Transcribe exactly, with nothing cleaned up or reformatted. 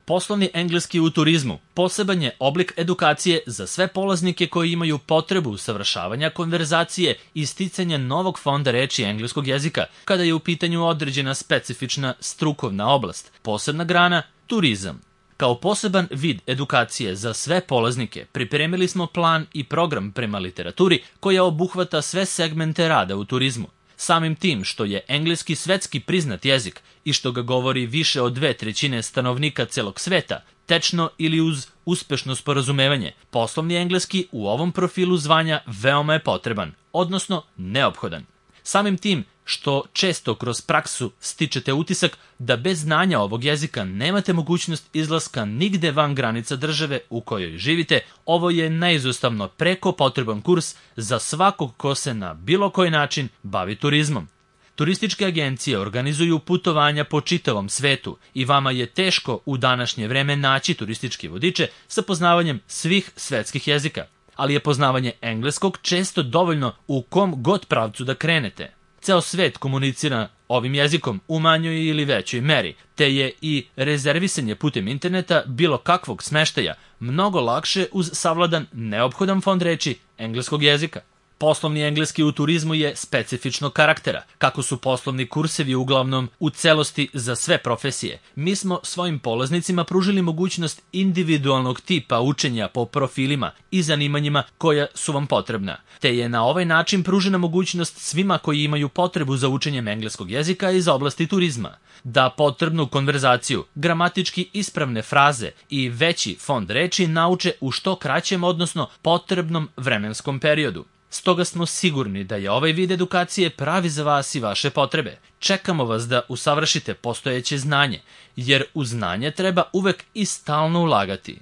Poslovni engleski u turizmu poseban je oblik edukacije za sve polaznike koji imaju potrebu usavršavanja konverzacije i sticanja novog fonda reči engleskog jezika kada je u pitanju određena specifična strukovna oblast, posebna grana turizam. Kao poseban vid edukacije za sve polaznike pripremili smo plan i program prema literaturi koja obuhvata sve segmente rada u turizmu. Samim tim što je engleski svetski priznat jezik i što ga govori više od dve trećine stanovnika celog sveta, tečno ili uz uspešno sporazumevanje, poslovni engleski u ovom profilu zvanja veoma je potreban, odnosno neophodan. Samim tim što često kroz praksu stičete utisak da bez znanja ovog jezika nemate mogućnost izlaska nigde van granica države u kojoj živite, ovo je neizostavno preko potreban kurs za svakog ko se na bilo koji način bavi turizmom. Turističke agencije organizuju putovanja po čitavom svetu i vama je teško u današnje vreme naći turističke vodiče sa poznavanjem svih svetskih jezika, ali je poznavanje engleskog često dovoljno u kom god pravcu da krenete. Ceo svet komunicira ovim jezikom u manjoj ili većoj meri, te je i rezervisanje putem interneta bilo kakvog smeštaja mnogo lakše uz savladan neophodan fond reči engleskog jezika. Poslovni engleski u turizmu je specifičnog karaktera. Kako su poslovni kursevi uglavnom u celosti za sve profesije, mi smo svojim polaznicima pružili mogućnost individualnog tipa učenja po profilima i zanimanjima koja su vam potrebna, te je na ovaj način pružena mogućnost svima koji imaju potrebu za učenjem engleskog jezika iz oblasti turizma, da potrebnu konverzaciju, gramatički ispravne fraze i veći fond reči nauče u što kraćem, odnosno potrebnom vremenskom periodu. Stoga smo sigurni da je ovaj vid edukacije pravi za vas i vaše potrebe. Čekamo vas da usavršite postojeće znanje, jer u znanje treba uvek i stalno ulagati.